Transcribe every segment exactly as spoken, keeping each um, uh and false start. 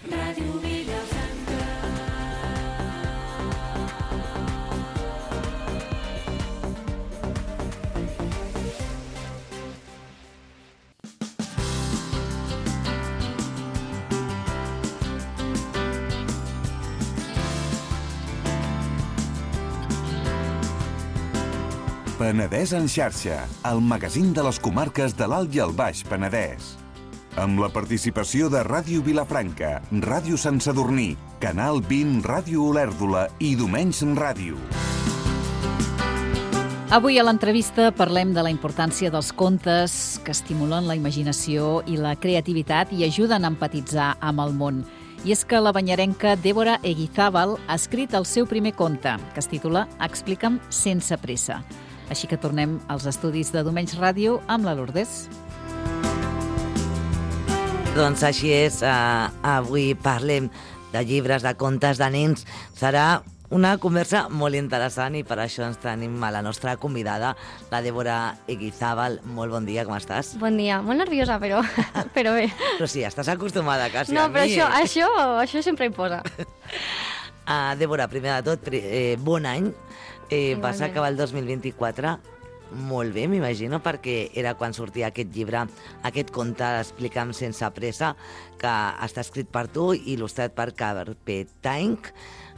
Ràdio Vilafranca. Penedès en xarxa, el magazín de les comarques de l'Alt i el Baix Penedès. Amb la participació de Ràdio Vilafranca, Ràdio Sant Sadurní, Canal vint, Ràdio Olèrdola i Domenys Ràdio. Avui a l'entrevista parlem de la importància dels contes que estimulen la imaginació i la creativitat i ajuden a empatitzar amb el món. I és que la banyarenca Débora Eguizábal ha escrit el seu primer conte, que es titula Explica'm sense pressa. Així que tornem als estudis de Domenys Ràdio amb la Lourdes. Doncs així és, uh, avui parlem de llibres, de contes de nens. Serà una conversa molt interessant i per això ens tenim a la nostra convidada, la Débora Eguizábal. Molt bon dia, com estàs? Bon dia, molt nerviosa, però, però bé. Però sí, estàs acostumada quasi no, a mi. No, però això, eh? això, això sempre hi posa. Uh, Débora, primer de tot, eh, bon any. Eh, vas acabar el dos mil vint-i-quatre molt bé, m'imagino, perquè era quan sortia aquest llibre, aquest conte, Explica'm sense pressa, que està escrit per tu i il·lustrat per Carpe Tank.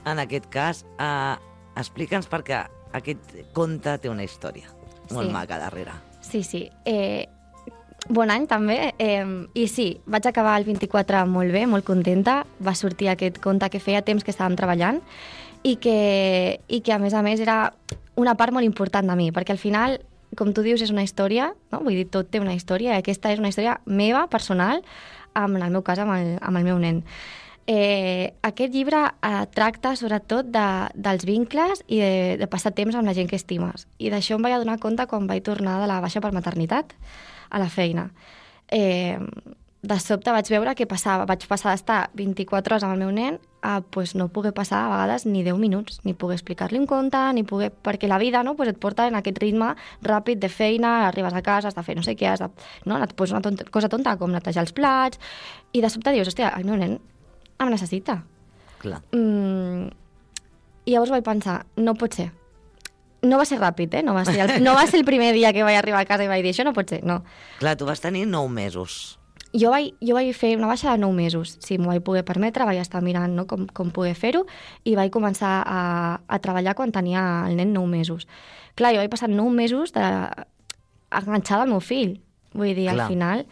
En aquest cas, eh, explica'ns perquè aquest conte té una història molt sí. maca darrere. Sí, sí. Eh, bon any, també. Eh, I sí, vaig acabar el vint-i-quatre molt bé, molt contenta. Va sortir aquest conte que feia temps que estàvem treballant i que, i que a més a més, era una part molt important de mi, perquè al final, com tu dius, és una història, no? Vull dir, tot té una història, i aquesta és una història meva, personal, amb, en el meu cas, amb el, amb el meu nen. Eh, aquest llibre eh, tracta sobretot de, dels vincles i de, de passar temps amb la gent que estimes. I d'això em vaig adonar compte quan vaig tornar de la baixa per maternitat a la feina. Eh, de sobte vaig veure que passava, vaig passar d'estar vint-i-quatre hores amb el meu nen a pues, no poder passar a vegades ni deu minuts, ni poder explicar-li un conte, ni poder... perquè la vida, no, pues et porta en aquest ritme ràpid de feina, arribes a casa, has de fer no sé què, has de... no, et poses una tonta, cosa tonta com netejar els plats, i de sobte dius, hòstia, el meu nen em necessita. Clar. Mm, I llavors vaig pensar, no pot ser. No va ser ràpid, eh? No va ser el, no va ser el primer dia que vaig arribar a casa i vaig dir, això no pot ser, no. Clar, tu vas tenir nou mesos. Jo vaig, jo vaig fer una baixa de nou mesos. Si m'ho vaig poder permetre, vaig estar mirant, no, com, com poder fer-ho, i vaig començar a, a treballar quan tenia el nen nou mesos. Clar, jo vaig passar nou mesos de, enganxada al meu fill. Vull dir, Clar. al final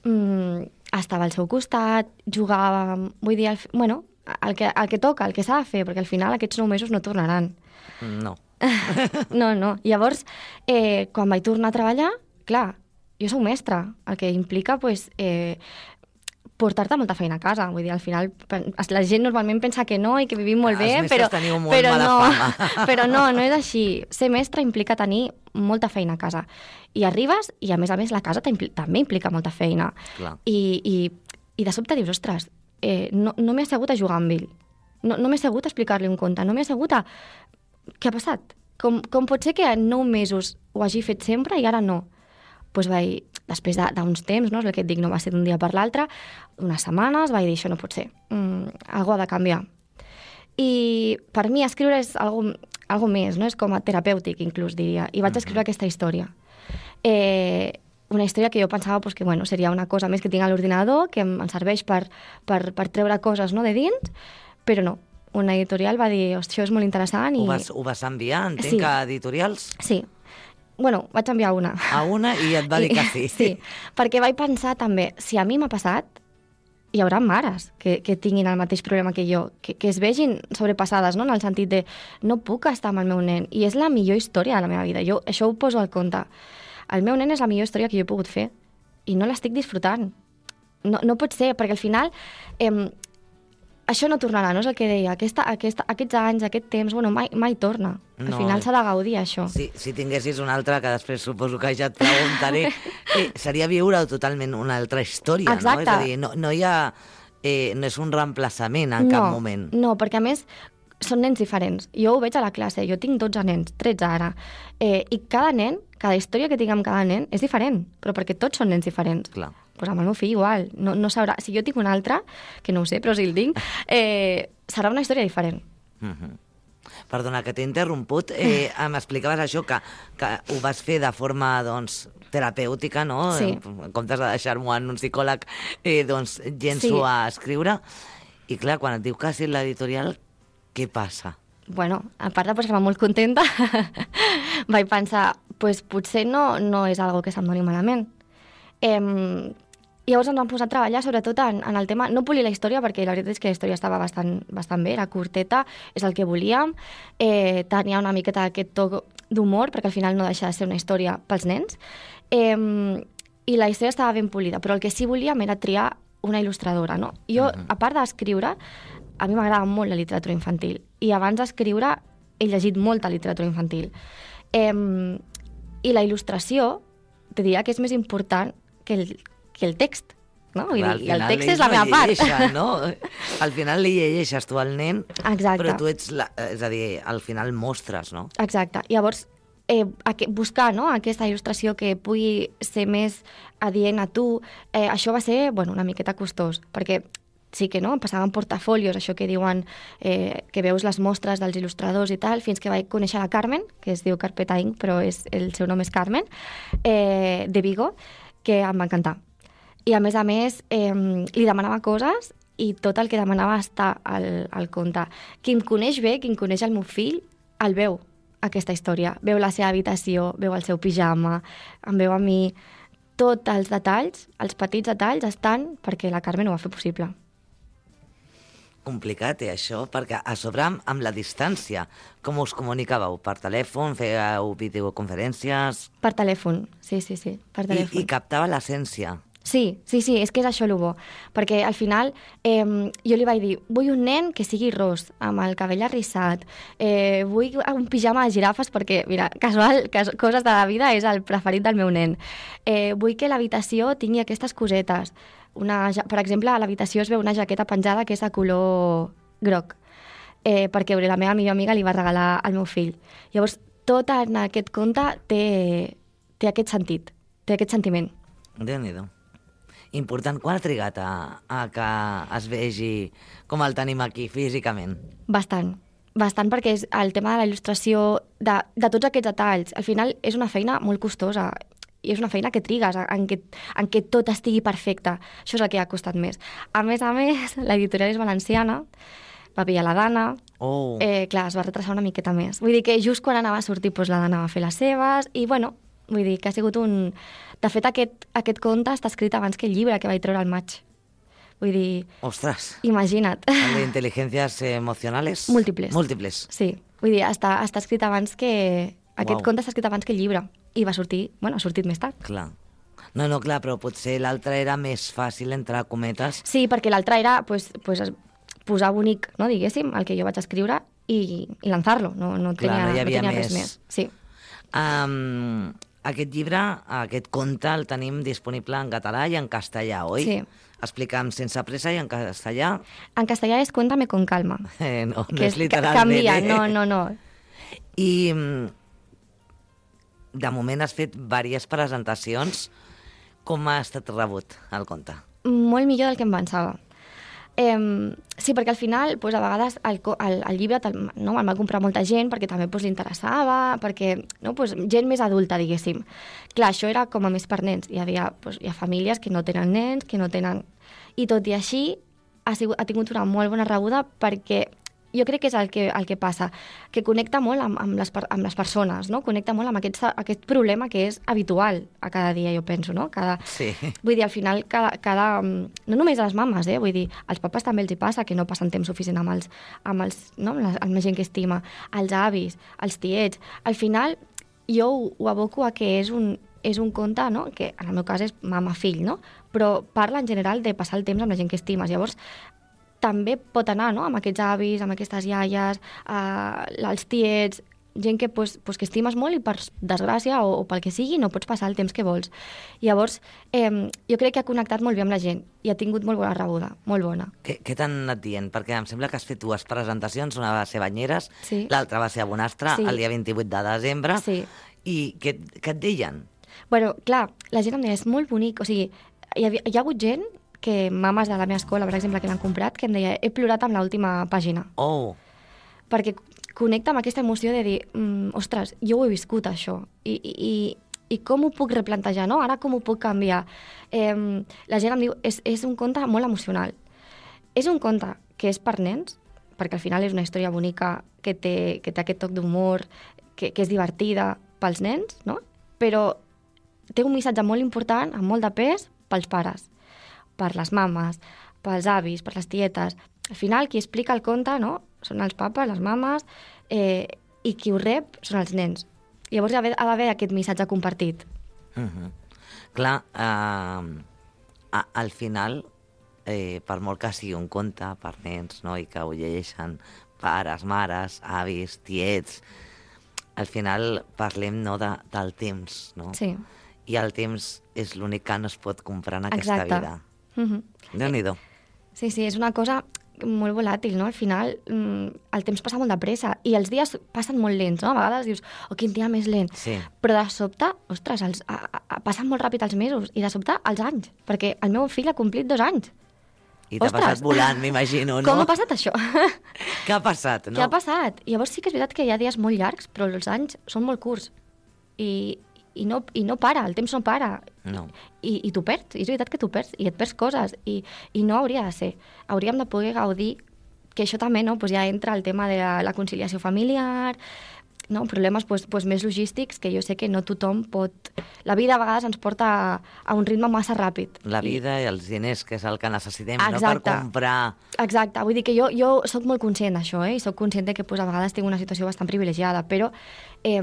mmm, estava al seu costat, jugava... Vull dir, el, bueno, el que, el que toca, el que s'ha de fer, perquè al final aquests nou mesos no tornaran. No. no, no. Llavors, eh, quan vaig tornar a treballar, clar, jo soc mestra, el que implica pues, eh, portar-te molta feina a casa. Vull dir, al final la gent normalment pensa que no i que vivim molt ah, bé, els però, teniu molt però, mala no, fama. però no, no és així. Ser mestra implica tenir molta feina a casa. I arribes i, a més a més, la casa també implica molta feina. Clar. I, i, I de sobte dius, ostres, eh, no, no m'he assegut a jugar amb ell. No, no m'he assegut a explicar-li un conte. No m'he assegut a... Què ha passat? Com, com pot ser que en nou mesos ho hagi fet sempre i ara no? Pues vaig, després d'uns temps, no? És el que et dic, no va ser d'un dia per l'altre, unes setmanes, vaig dir, això no pot ser, mm, algo ha de canviar. I per mi escriure és algo, algo més, no? És com a terapèutic, inclús, diria, i vaig escriure aquesta història. Eh, una història que jo pensava pues, que bueno, seria una cosa més que tinc a l'ordinador, que em, em serveix per, per, per treure coses, no?, de dins, però no. Una editorial va dir, això és molt interessant. I... Ho vas, ho vas enviar, entenc, sí. a editorials? Sí. Bueno, vaig enviar una. A una i et va dir que sí. Sí, perquè vaig pensar també, si a mi m'ha passat, hi haurà mares que, que tinguin el mateix problema que jo, que, que es vegin sobrepassades, no?, en el sentit de no puc estar amb el meu nen, i és la millor història de la meva vida. Jo això ho poso al compte. El meu nen és la millor història que jo he pogut fer, i no l'estic disfrutant. No, no pot ser, perquè al final... Eh, això no tornarà, no és el que deia. Aquesta, aquesta, aquests anys, aquest temps, bueno, mai, mai torna. Al no. final s'ha de gaudir, això. Si, si tinguessis una altra, que després suposo que ja et preguntaré, eh, seria viure totalment una altra història, exacte. No? És a dir, no, no hi ha... Eh, no és un reemplaçament en no, cap moment. No, perquè a més són nens diferents. Jo ho veig a la classe, jo tinc dotze nens, tretze ara, eh, i cada nen, cada història que tinc amb cada nen és diferent, però perquè tots són nens diferents. Clar. pues amb el meu fill igual. No, no sabrà... Si jo tinc un altre, que no ho sé, però si el tinc, eh, serà una història diferent. Mm-hmm. Perdona, que t'he interromput. Eh, m'explicaves això, que, que ho vas fer de forma, doncs, terapèutica, no? Sí. En comptes de deixar-m'ho en un psicòleg, eh, doncs, llenço Sí. a escriure. I clar, quan et diu que has dit l'editorial, què passa? Bueno, a part de posar-me molt contenta, vaig pensar, pues, potser no, no és algo que se'm doni malament. Eh, llavors ens vam posar a treballar sobretot en, en el tema, no polir la història, perquè la veritat és que la història estava bastant, bastant bé, era curteta, és el que volíem, eh, tenia una miqueta aquest toc d'humor, perquè al final no deixa de ser una història pels nens, eh, i la història estava ben polida, però el que sí volíem era triar una il·lustradora, no? Jo, Mhm. a part d'escriure, a mi m'agrada molt la literatura infantil, i abans d'escriure he llegit molta literatura infantil. Eh, I la il·lustració, te diria que és més important que el, que el text, no? Vull Clar, al dir, i el final text ells és la no meva part. llegeixen, no? Al final li llegeixes tu al nen, Exacte. però tu ets, la, és a dir, al final mostres, no? Exacte. Llavors, eh, aqu- buscar, no?, aquesta il·lustració que pugui ser més adient a tu, eh, això va ser, bueno, una miqueta costós, perquè sí que no, em passaven portafolios, això que diuen eh, que veus les mostres dels il·lustradors i tal, fins que vaig conèixer la Carmen, que es diu Carpeta Inc, però és, el seu nom és Carmen, eh, de Vigo, que em va encantar. I a més a més, eh, li demanava coses i tot el que demanava està al, al conte. Qui em coneix bé, qui em coneix el meu fill, el veu, aquesta història. Veu la seva habitació, veu el seu pijama, em veu a mi. Tots els detalls, els petits detalls, estan perquè la Carmen ho va fer possible. Complicat, eh, això, perquè a sobre amb, amb la distància, com us comunicàveu? Per telèfon, fèieu videoconferències... Per telèfon, sí, sí, sí, per I, telèfon. i captava l'essència. Sí, sí, sí, és que és això el bo, perquè al final eh, jo li vaig dir, vull un nen que sigui ros, amb el cabell arrissat, eh, vull un pijama de girafes perquè, mira, casual, cas, coses de la vida és el preferit del meu nen. Eh, vull que l'habitació tingui aquestes cosetes. Una, ja- per exemple, a l'habitació es veu una jaqueta penjada que és de color groc, eh, perquè la meva millor amiga li va regalar al meu fill. Llavors, tot en aquest conte té, té aquest sentit, té aquest sentiment. Déu-n'hi-do. Important, quan ha trigat a, a que es vegi com el tenim aquí físicament? Bastant, bastant, perquè és el tema de la il·lustració, de, de tots aquests detalls. Al final és una feina molt costosa i és una feina que trigues en què, en què tot estigui perfecte. Això és el que ha costat més. A més a més, l'editorial és valenciana, va pillar la Dana, Oh, eh, clar, es va retrasar una miqueta més. Vull dir que just quan anava a sortir, doncs, la Dana va fer les seves i, bueno, vull dir que ha sigut un... De fet, aquest, aquest conte està escrit abans que el llibre que vaig treure al maig. Vull dir, ostres. imagina't. El de inteligencias emocionales? Múltiples. Múltiples. Sí, vull dir, està, està escrit abans que... Aquest Uau. conte està escrit abans que el llibre. I va sortir, bueno, ha sortit més tard. Clar. No, no, clar, però potser l'altre era més fàcil, entre cometes. Sí, perquè l'altre era pues, pues, posar bonic, no, diguéssim, el que jo vaig escriure i, i lançar-lo. No, no, Clar, tenia, no hi havia tenia res més. més. Sí. Um, aquest llibre, aquest conte, el tenim disponible en català i en castellà, oi? Sí. Explica'm sense pressa i en castellà. En castellà és Cuéntame con calma. Eh, no, no que és literalment. Canvia, eh? no, no, no. I mm, de moment has fet diverses presentacions. Com ha estat rebut el conte? Molt millor del que em pensava. Eh, sí, perquè al final, pues, a vegades el, co- el, el llibre te'l- no, el va comprar molta gent perquè també pues, li interessava, perquè no, pues, gent més adulta, diguéssim. Clar, això era com a més per nens. Hi havia, pues, hi ha famílies que no tenen nens, que no tenen... I tot i així ha, sigut, ha tingut una molt bona rebuda perquè jo crec que és el que, el que passa, que connecta molt amb, amb, les, per- amb les persones, no? Connecta molt amb aquest, aquest problema que és habitual a cada dia, jo penso, no? Cada, Sí. Vull dir, al final, cada, cada, no només a les mames, eh? Vull dir, als papes també els hi passa que no passen temps suficient amb els, amb els, no? amb la, amb la gent que estima, els avis, els tiets. Al final, jo ho, ho aboco a que és un, és un conte, no? Que en el meu cas és mama-fill, no? Però parla en general de passar el temps amb la gent que estimes. Llavors, també pot anar, no?, amb aquests avis, amb aquestes iaies, eh, els tiets, gent que, pues, pues, que estimes molt i per desgràcia o, o pel que sigui no pots passar el temps que vols. Llavors, eh, jo crec que ha connectat molt bé amb la gent i ha tingut molt bona rebuda, molt bona. Què, què t'han anat dient? Perquè em sembla que has fet dues presentacions, una va ser a Banyeres, Sí. l'altra va ser a Bonastre, Sí. el dia vint-i-vuit de desembre, Sí. i què, què et deien? Bueno, clar, la gent em deia, és molt bonic, o sigui, hi, havia, hi ha hagut gent que mames de la meva escola, per exemple, que l'han comprat, que em deia, he plorat amb l'última pàgina. Oh, Perquè connecta amb aquesta emoció de dir, mm, ostres, jo ho he viscut, això, i, i, i com ho puc replantejar, no? Ara com ho puc canviar? Eh, la gent em diu, és, és un conte molt emocional. És un conte que és per nens, perquè al final és una història bonica que té, que té aquest toc d'humor, que, que és divertida pels nens, no? Però té un missatge molt important, amb molt de pes, pels pares, per les mames, pels avis, per les tietes. Al final, qui explica el conte, no?, són els papes, les mames, eh, i qui ho rep són els nens. Llavors ha d'haver aquest missatge compartit. uh -huh. Clar, eh, a, al final, eh, per molt que sigui un conte per nens, no?, i que ho llegeixen pares, mares, avis, tiets, al final parlem, no, de, del temps, no? Sí. I el temps és l'únic que no es pot comprar en aquesta Exacte. vida. Uh-huh. Déu-n'hi-do. Sí, sí, és una cosa molt volàtil, no? Al final, mm, el temps passa molt de pressa i els dies passen molt lents, no? A vegades dius, oh, quin dia més lent. Sí. Però de sobte, ostres, els, a, a, passen molt ràpid els mesos i de sobte els anys, perquè el meu fill ha complit dos anys. I t'ha Ostres. passat volant, m'imagino, no? Com ha passat això? Què ha passat, no? Què ha passat? Llavors sí que és veritat que hi ha dies molt llargs, però els anys són molt curts. I, i, no, i no para, el temps no para. No. I, i t'ho perds, i és veritat que t'ho perds, i et perds coses, i, i no hauria de ser. Hauríem de poder gaudir, que això també, no?, pues ja entra el tema de la, la conciliació familiar, no? Problemes pues, pues, més logístics, que jo sé que no tothom pot... La vida a vegades ens porta a, a un ritme massa ràpid. La vida i els diners, que és el que necessitem, Exacte. no per comprar... Exacte, vull dir que jo, jo sóc molt conscient d'això, eh? I sóc conscient de que pues, a vegades tinc una situació bastant privilegiada, però eh,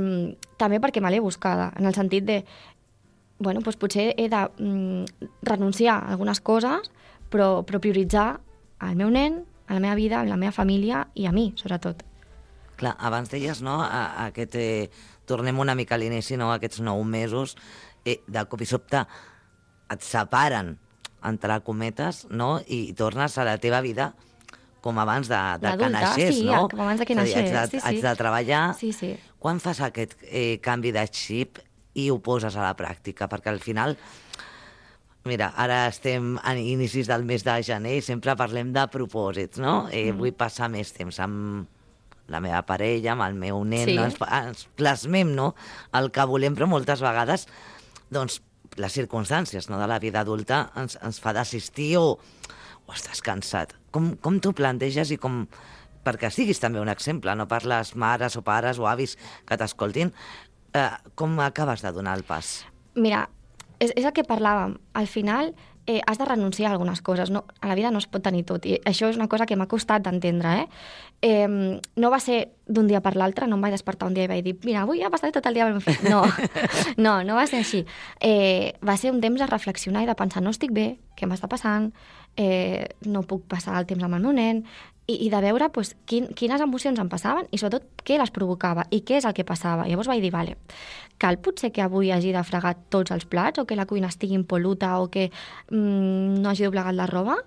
també perquè me l'he buscada, en el sentit de, bueno, pues, potser he de mm, renunciar a algunes coses, però, però prioritzar el meu nen, a la meva vida, a la meva família i a mi, sobretot. Clar, abans deies, no?, a, a aquest... Eh, tornem una mica a l'inici, no?, aquests nou mesos, eh, de cop i sobte et separen, entre cometes, no?, i tornes a la teva vida com abans de, de que D'adulta, naixés, sí, no? com abans de que És a dir, naixés, haig de, sí, sí. haig de treballar. Sí, sí. Quan fas aquest eh, canvi de xip i ho poses a la pràctica? Perquè al final... Mira, ara estem a inicis del mes de gener i sempre parlem de propòsits, no? Eh, mm. Vull passar més temps amb la meva parella, amb el meu nen, Sí. no? ens, ens plasmem, no?, el que volem, però moltes vegades, doncs, les circumstàncies, no?, de la vida adulta ens, ens fa desistir o, o estàs cansat. Com, com t'ho planteges i com... Perquè siguis també un exemple, no?, per les mares o pares o avis que t'escoltin, eh, com acabes de donar el pas? Mira, és, és el que parlàvem. Al final eh, has de renunciar a algunes coses. No, a la vida no es pot tenir tot. I això és una cosa que m'ha costat d'entendre. Eh? Eh, no va ser d'un dia per l'altre, no em vaig despertar un dia i vaig dir mira, avui ja passaré tot el dia amb el meu fill. No, no, no va ser així. Eh, va ser un temps de reflexionar i de pensar no estic bé, què m'està passant, eh, no puc passar el temps amb el meu nen, i, i de veure pues, quin, quines emocions em passaven i sobretot què les provocava i què és el que passava. Llavors vaig dir, vale, cal potser que avui hagi de fregar tots els plats o que la cuina estigui impol·luta o que mm, no hagi doblegat la roba?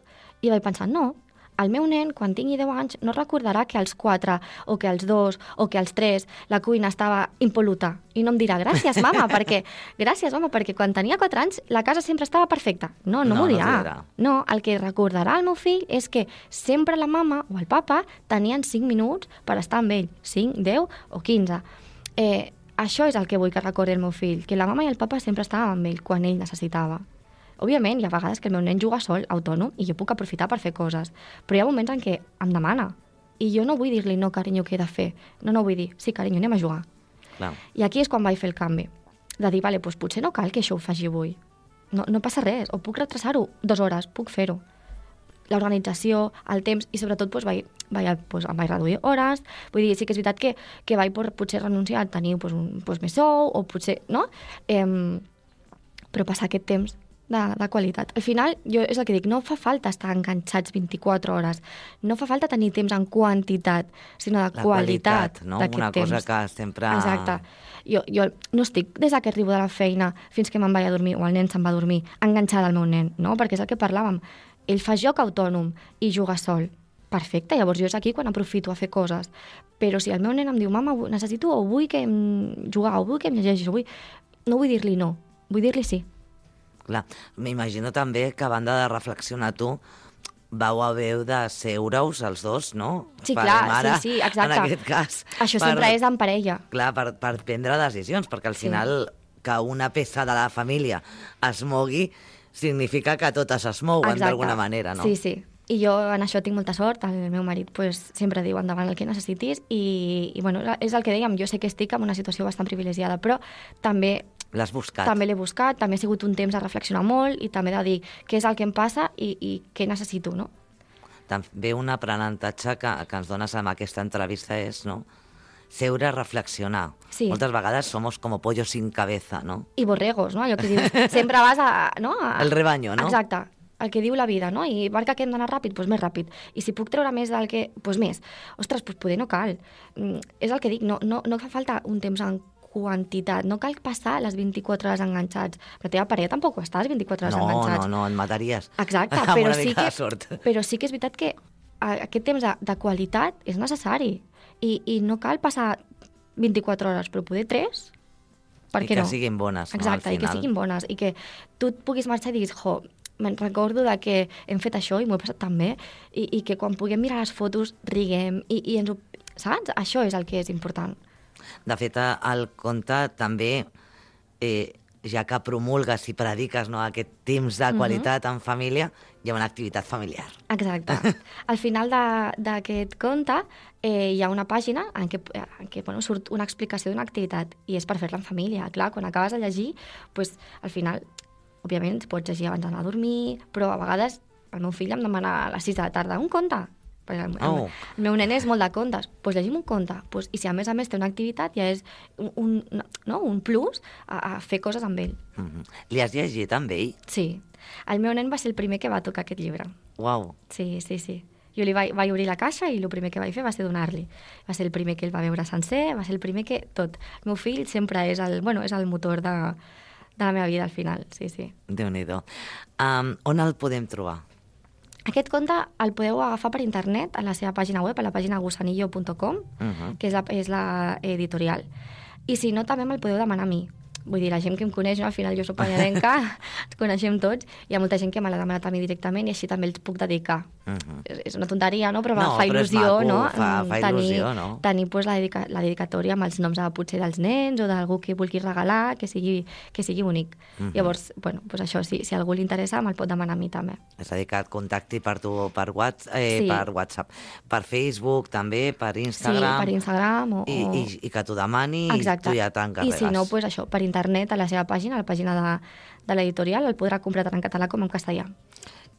I vaig pensar, no, el meu nen, quan tingui deu anys, no recordarà que als quatre, o que als dos, o que als tres, la cuina estava impol·luta. I no em dirà, gràcies, mama, perquè gràcies, mama, perquè quan tenia quatre anys la casa sempre estava perfecta. No, no, No, m'ho no dirà. t'ho dirà. No, el que recordarà el meu fill és que sempre la mama o el papa tenien cinc minuts per estar amb ell. cinc, deu o quinze. Eh, això és el que vull que recordi el meu fill, que la mama i el papa sempre estàvem amb ell quan ell necessitava. Òbviament, hi ha vegades que el meu nen juga sol, autònom, i jo puc aprofitar per fer coses. Però hi ha moments en què em demana. I jo no vull dir-li, no, carinyo, què he de fer? No, no vull dir, sí, carinyo, anem a jugar. Clar. I aquí és quan vaig fer el canvi. De dir, vale, doncs potser no cal que això ho faci avui. No, no passa res, o puc retrasar-ho dues hores, puc fer-ho. L'organització, el temps, i sobretot doncs, vaig, vaig, doncs, em vaig reduir hores. Vull dir, sí que és veritat que, que vaig potser renunciar a tenir doncs, un, doncs, més sou, o potser, no? Eh, però passar aquest temps de, de qualitat. Al final, jo és el que dic, no fa falta estar enganxats vint-i-quatre hores, no fa falta tenir temps en quantitat, sinó de La qualitat, qualitat, no? d'aquest Una temps. cosa que sempre... Exacte. Jo, jo no estic des que arribo de la feina fins que me'n vaig a dormir, o el nen se'n va a dormir, enganxada al meu nen, no? Perquè és el que parlàvem. Ell fa joc autònom i juga sol. Perfecte, llavors jo és aquí quan aprofito a fer coses. Però si el meu nen em diu, mama, necessito o vull que em jugar, o vull que em llegeixis, o vull... no vull dir-li no, vull dir-li sí. Clar, m'imagino també que a banda de reflexionar tu, vau haver de seure-us els dos, no? Sí, Pare clar, i mare, sí, sí, exacte. En aquest cas. Això sempre és en parella. Clar, per, per prendre decisions, perquè al Sí. final que una peça de la família es mogui significa que totes es mouen Exacte. d'alguna manera, no? Sí, sí. I jo en això tinc molta sort, el meu marit pues, sempre diu endavant el que necessitis i, i bueno, és el que dèiem, jo sé que estic en una situació bastant privilegiada, però també L'has buscat. també l'he buscat, també ha sigut un temps de reflexionar molt i també de dir què és el que em passa i, i què necessito, no? També un aprenentatge que, que ens dones amb aquesta entrevista és, no?, seure a reflexionar. Sí. Moltes vegades somos como pollos sin cabeza, no? I borregos, no? Allò que dius, sempre vas a... No? a... El rebaño, no? Exacte, el que diu la vida, no? I marca que hem d'anar ràpid, doncs més ràpid. I si puc treure més del que... Doncs més. Ostres, doncs poder no cal. Mm, és el que dic, no, no, no fa falta un temps en quantitat, no cal passar les vint-i-quatre hores enganxats. La teva parella tampoc ho estàs vint-i-quatre hores No, enganxats. no, no, et mataries. Exacte, Amb però una sí, mica que, de sort. però sí que és veritat que a- aquest temps de, de qualitat és necessari. I, I no cal passar vint-i-quatre hores, però poder tres, per I què que no? siguin bones, no, Exacte, al i que final. siguin bones. I que tu et puguis marxar i diguis, jo, me'n recordo de que hem fet això i m'ho he passat tan bé, i, i que quan puguem mirar les fotos riguem, i, i ens ho... Saps? Això és el que és important. De fet, el conte també, eh, ja que promulgues i prediques, no, aquest temps de qualitat en família, hi ha una activitat familiar. Exacte. Al final de- d'aquest conte eh, hi ha una pàgina en què, en què bueno, surt una explicació d'una activitat i és per fer-la en família. Clar, quan acabes de llegir, pues, al final, òbviament, pots llegir abans d'anar a dormir, però a vegades el meu fill em demana a les sis de la tarda un conte. Perquè el, el, Oh. el meu nen és molt de contes. Doncs pues llegim un conte. Pues, I si a més a més té una activitat, ja és un, un, no, un plus a, a fer coses amb ell. Mm -hmm. Li has llegit amb ell? Sí. El meu nen va ser el primer que va tocar aquest llibre. Uau. Sí, sí, sí. Jo li vaig, vaig obrir la caixa i el primer que vaig fer va ser donar-li. Va ser el primer que el va veure sencer, va ser el primer que... Tot. El meu fill sempre és el, bueno, és el motor de, de la meva vida al final, sí, sí. Déu-n'hi-do. Um, on el podem trobar? Aquest conte el podeu agafar per internet a la seva pàgina web, a la pàgina gusanillo punt com, Mhm. que és la, és la editorial. I si no, també me'l podeu demanar a mi. Vull dir, la gent que em coneix, no? Al final jo soc pallarenca, ens coneixem tots, hi ha molta gent que me l'ha demanat a mi directament i així també els puc dedicar. Mhm. És, és una tonteria, no? Però No, fa però és il·lusió, maco, no? fa- Mm, fa tenir, il·lusió, no? Tenir pues, la, dedica la dedicatòria amb els noms de, potser dels nens o d'algú que vulgui regalar, que sigui, que sigui únic. Mhm. Llavors, bueno, pues això, si, si a algú li interessa, me'l pot demanar a mi també. És a dir, que et contacti per tu per, WhatsApp, eh, Sí. per WhatsApp, per Facebook també, per Sí, Instagram, per Instagram o... i, o... i, i que t'ho demani Exacte. i tu ja I t'encarregues. si no, pues això, per internet, a la seva pàgina, a la pàgina de, de l'editorial, el podrà comprar tant en català com en castellà.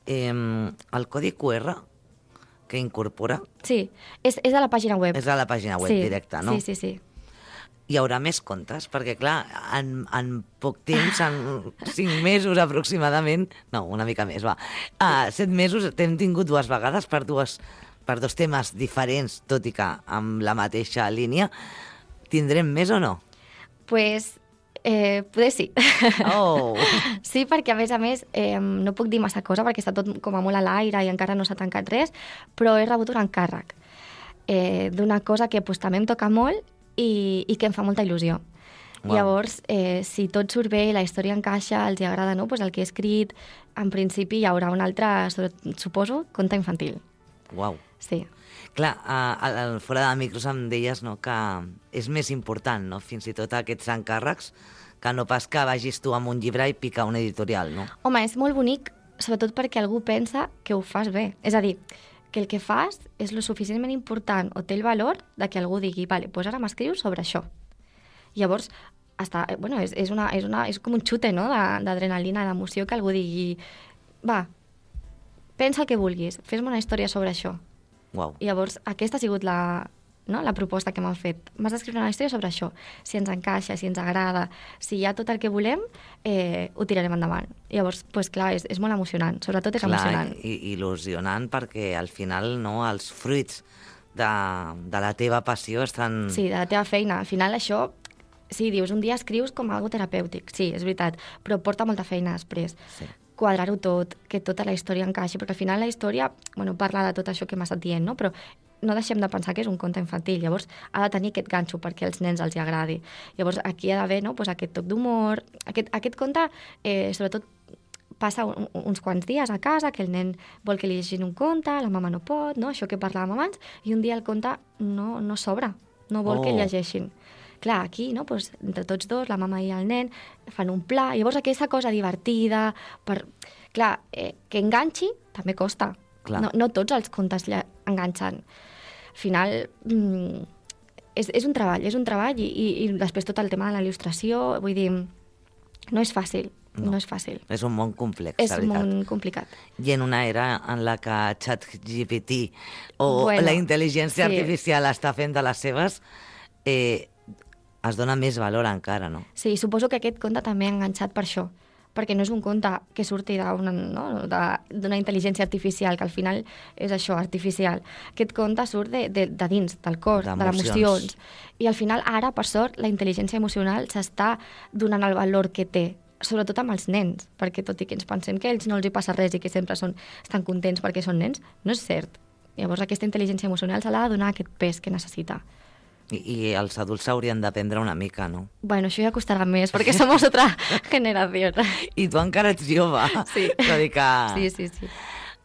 Eh, el codi Q R que incorpora Sí, és, és a la pàgina web. és a la pàgina web sí, directa, no? Sí, sí, sí. Hi haurà més contes? Perquè, clar, en, en poc temps, en cinc mesos aproximadament, no, una mica més, va, a set mesos t'hem tingut dues vegades per, dues, per dos temes diferents, tot i que amb la mateixa línia. Tindrem més o no? Pues, eh, poder sí. Oh! Sí, perquè a més a més eh, no puc dir massa cosa perquè està tot com a molt a l'aire i encara no s'ha tancat res, però he rebut un encàrrec eh, d'una cosa que pues, també em toca molt i, i que em fa molta il·lusió. Wow. Llavors, eh, si tot surt bé i la història encaixa, els hi agrada, no? Pues el que he escrit, en principi hi haurà un altre, suposo, conte infantil. Uau! Sí. Clar, a, a, a, fora de micros em deies, no, que és més important, no?, fins i tot aquests encàrrecs, que no pas que vagis tu amb un llibre i picar una editorial, no? Home, és molt bonic, sobretot perquè algú pensa que ho fas bé. És a dir, que el que fas és lo suficientment important o té el valor de que algú digui, vale, doncs ara m'escrius sobre això. Llavors, està, bueno, és, és, una, és, una, és com un xute, no?, de- d'adrenalina, d'emoció, que algú digui, va, pensa el que vulguis, fes-me una història sobre això. Uau. I llavors, aquesta ha sigut la, no, la proposta que m'han fet. M'has d'escriure una història sobre això. Si ens encaixa, si ens agrada, si hi ha tot el que volem, eh, ho tirarem endavant. Llavors, pues, clar, és, és molt emocionant. Sobretot és emocionant. i, il·lusionant perquè al final, no, els fruits de, de la teva passió estan... Sí, de la teva feina. Al final això, sí, dius, un dia escrius com algo terapèutic, sí, és veritat, però porta molta feina després. Sí. Quadrar-ho tot, que tota la història encaixi, perquè al final la història, bueno, parla de tot això que m'ha estat dient, no? Però no deixem de pensar que és un conte infantil, llavors ha de tenir aquest ganxo perquè als nens els hi agradi. Llavors aquí ha d'haver, no?, pues aquest toc d'humor, aquest, aquest conte, eh, sobretot passa un, uns quants dies a casa, que el nen vol que li llegin un conte, la mama no pot, no? Això que parlàvem abans, i un dia el conte no, no s'obre, no vol oh. que llegeixin. Clar, aquí, no? Pues, entre tots dos, la mama i el nen, fan un pla. Llavors, aquesta cosa divertida, per... clar, eh, que enganxi, també costa. No, no tots els contes enganxen. Al final, mmm, és, és un treball, és un treball, i, i, i després tot el tema de la il·lustració, vull dir, no és fàcil. No. no és fàcil. És un món complex, és la veritat. És un món complicat. I en una era en la que ChatGPT o bueno, la intel·ligència sí. artificial està fent de les seves, eh, es dona més valor encara, no? Sí, suposo que aquest conte també ha enganxat per això, perquè no és un conte que surti d'una no? d'una intel·ligència artificial, que al final és això, artificial. Aquest conte surt de, de, de dins, del cor, de les emocions. I al final, ara, per sort, la intel·ligència emocional s'està donant el valor que té, sobretot amb els nens, perquè tot i que ens pensem que a ells no els hi passa res i que sempre són, estan contents perquè són nens, no és cert. Llavors aquesta intel·ligència emocional se l'ha de donar aquest pes que necessita. I, i els adults s'haurien d'aprendre una mica, no? Bueno, això ja costarà més, perquè som altra generació. I tu encara ets jove. Sí. Que... sí, sí, sí.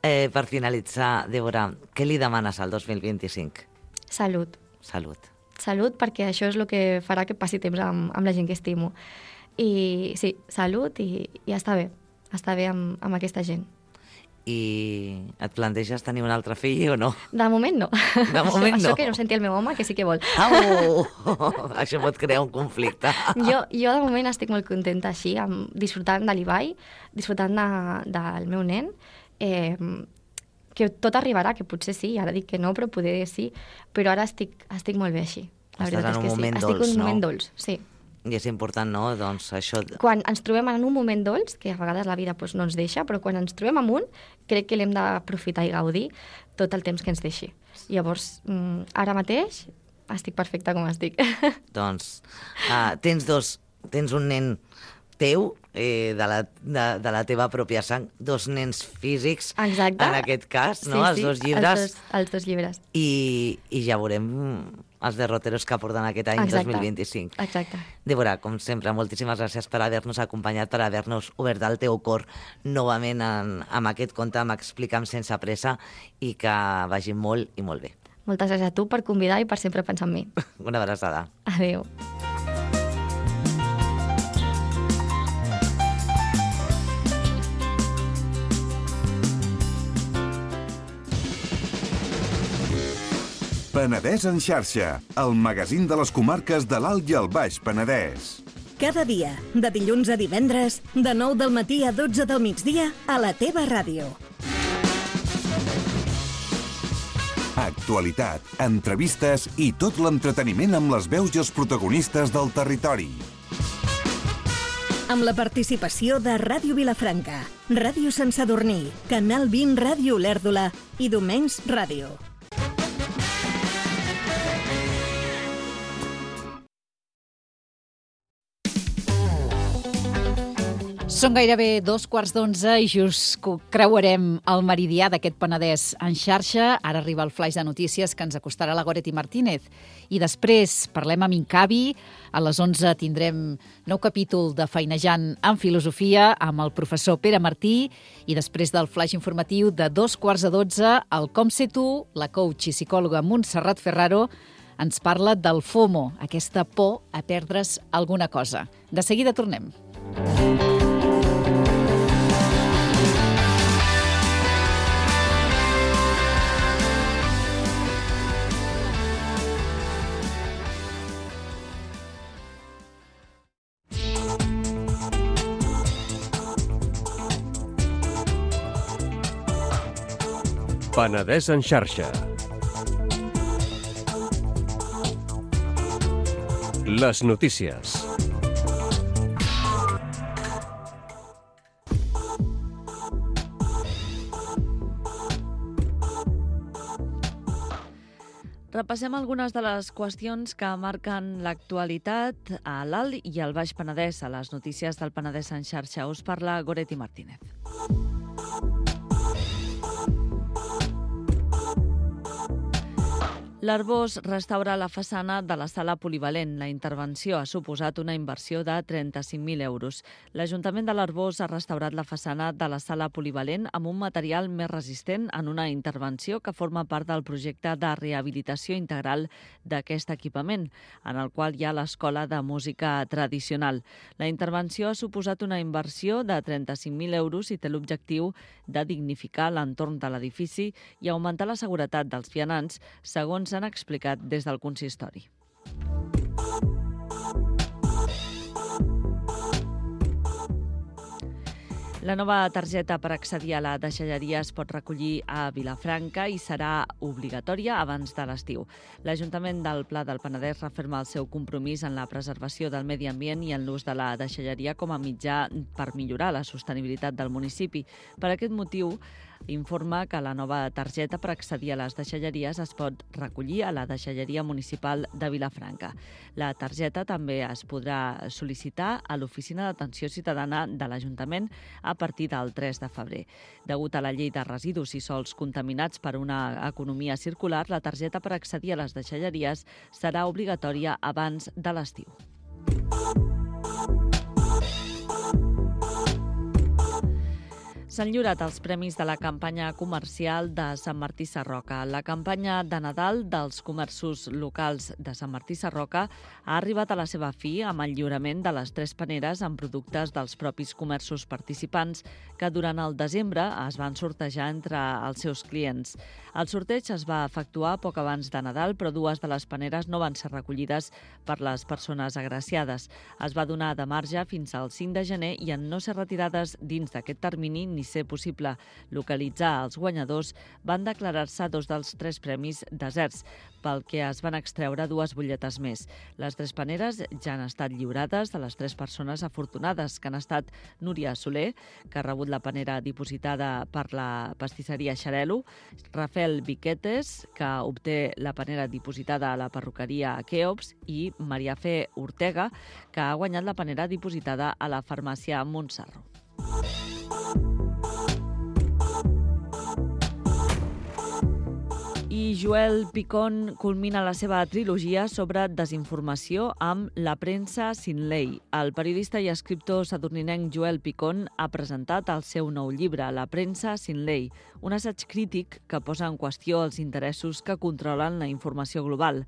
Eh, per finalitzar, Débora, què li demanes al dos mil vint-i-cinc? Salut. Salut. Salut, perquè això és el que farà que passi temps amb, amb la gent que estimo. I sí, salut i, i està bé, està bé amb, amb aquesta gent. I et planteges tenir un altre fill o no? De moment no. De moment això, no. Això que no senti el meu home, que sí que vol. Au! Això pot crear un conflicte. Jo, jo de moment estic molt contenta així, amb, disfrutant de l'Ibai, disfrutant de, del meu nen, eh, que tot arribarà, que potser sí, ara dic que no, però poder sí, però ara estic, estic molt bé així. La Estàs veritat en un és que moment sí. dolç, estic en un no? moment dolç, sí. I és important, no?, doncs això... Quan ens trobem en un moment dolç, que a vegades la vida doncs, no ens deixa, però quan ens trobem en un, crec que l'hem d'aprofitar i gaudir tot el temps que ens deixi. Llavors, ara mateix, estic perfecta com estic. Doncs uh, tens dos... Tens un nen teu, eh, de, la, de, de la teva pròpia sang, dos nens físics, exacte. En aquest cas, sí, no? Els sí, dos llibres. Els dos, els dos llibres. I, I ja veurem els derroteros que porten aquest any exacte. dos mil vint-i-cinc. Exacte. Débora, com sempre, moltíssimes gràcies per haver-nos acompanyat, per haver-nos obert el teu cor novament en, amb aquest conte, amb Explica'm sense pressa, i que vagi molt i molt bé. Moltes gràcies a tu per convidar i per sempre pensar en mi. Una abraçada. Adéu. Penedès en xarxa, el magazín de les comarques de l'Alt i el Baix Penedès. Cada dia, de dilluns a divendres, de nou del matí a dotze del migdia, a la teva ràdio. Actualitat, entrevistes i tot l'entreteniment amb les veus i els protagonistes del territori. Amb la participació de Ràdio Vilafranca, Ràdio Sant Sadurní, Canal vint Ràdio Olèrdola i Domenys Ràdio. Són gairebé dos quarts d'onze i just creuarem el meridià d'aquest Penedès en xarxa. Ara arriba el flaix de notícies que ens acostarà la Goretti Martínez. I després parlem amb Incavi. A les onze tindrem nou capítol de Feinejant en Filosofia amb el professor Pere Martí. I després del flaix informatiu de dos quarts de dotze, el Com sé tu, la coach i psicòloga Montserrat Ferraro, ens parla del FOMO, aquesta por a perdre's alguna cosa. De seguida tornem. Penedès en xarxa. Les notícies. Repassem algunes de les qüestions que marquen l'actualitat a l'Alt i al Baix Penedès, a les notícies del Penedès en xarxa. Us parla Goretti Martínez. L'Arbós restaura la façana de la sala polivalent. La intervenció ha suposat una inversió de trenta-cinc mil euros. L'Ajuntament de l'Arbós ha restaurat la façana de la sala polivalent amb un material més resistent en una intervenció que forma part del projecte de rehabilitació integral d'aquest equipament, en el qual hi ha l'Escola de Música Tradicional. La intervenció ha suposat una inversió de trenta-cinc mil euros i té l'objectiu de dignificar l'entorn de l'edifici i augmentar la seguretat dels vianants, segons s'han explicat des del consistori. La nova targeta per accedir a la deixalleria es pot recollir a Vilafranca i serà obligatòria abans de l'estiu. L'Ajuntament del Pla del Penedès referma el seu compromís en la preservació del medi ambient i en l'ús de la deixalleria com a mitjà per millorar la sostenibilitat del municipi. Per aquest motiu, informa que la nova targeta per accedir a les deixalleries es pot recollir a la deixalleria municipal de Vilafranca. La targeta també es podrà sol·licitar a l'Oficina d'Atenció Ciutadana de l'Ajuntament a partir del tres de febrer. Degut a la llei de residus i sòls contaminats per una economia circular, la targeta per accedir a les deixalleries serà obligatòria abans de l'estiu. S'han lliurat els premis de la campanya comercial de Sant Martí Sarroca. La campanya de Nadal dels comerços locals de Sant Martí Sarroca ha arribat a la seva fi amb el lliurament de les tres paneres amb productes dels propis comerços participants que durant el desembre es van sortejar entre els seus clients. El sorteig es va efectuar poc abans de Nadal, però dues de les paneres no van ser recollides per les persones agraciades. Es va donar de marge fins al cinc de gener i en no ser retirades dins d'aquest termini ni ser possible localitzar els guanyadors, van declarar-se dos dels tres premis deserts, pel que es van extreure dues butlletes més. Les tres paneres ja han estat lliurades de les tres persones afortunades, que han estat Núria Soler, que ha rebut la panera dipositada per la pastisseria Xarelo, Rafael Viquetes, que obté la panera dipositada a la perruqueria Keops, i Maria Fe Ortega, que ha guanyat la panera dipositada a la farmàcia Montsarro. I Joel Picón culmina la seva trilogia sobre desinformació amb La premsa sin ley. El periodista i escriptor sadurninenc Joel Picón ha presentat el seu nou llibre, La premsa sin ley, un assaig crític que posa en qüestió els interessos que controlen la informació global.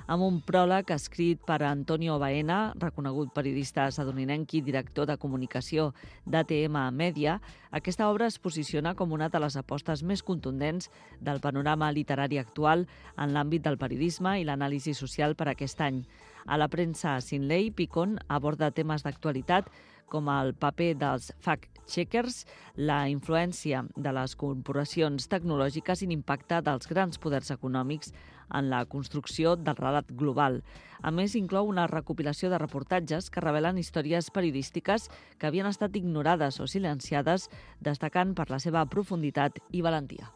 Amb un pròleg escrit per Antonio Baena, reconegut periodista sadurninenc i director de comunicació d'A T M Media, aquesta obra es posiciona com una de les apostes més contundents del panorama literari actual en l'àmbit del periodisme i l'anàlisi social per aquest any. A La premsa sin ley, Picón aborda temes d'actualitat com el paper dels fact-checkers, la influència de les corporacions tecnològiques i l'impacte dels grans poders econòmics en la construcció del relat global. A més, inclou una recopilació de reportatges que revelen històries periodístiques que havien estat ignorades o silenciades, destacant per la seva profunditat i valentia.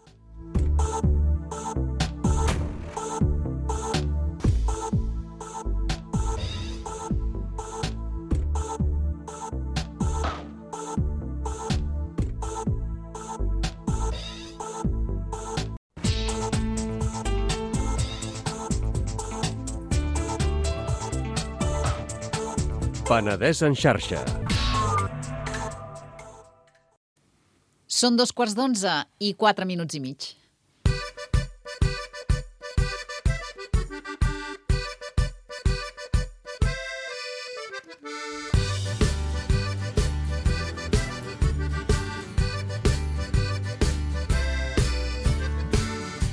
Penedès en xarxa. Són dos quarts d'onze i quatre minuts i mig.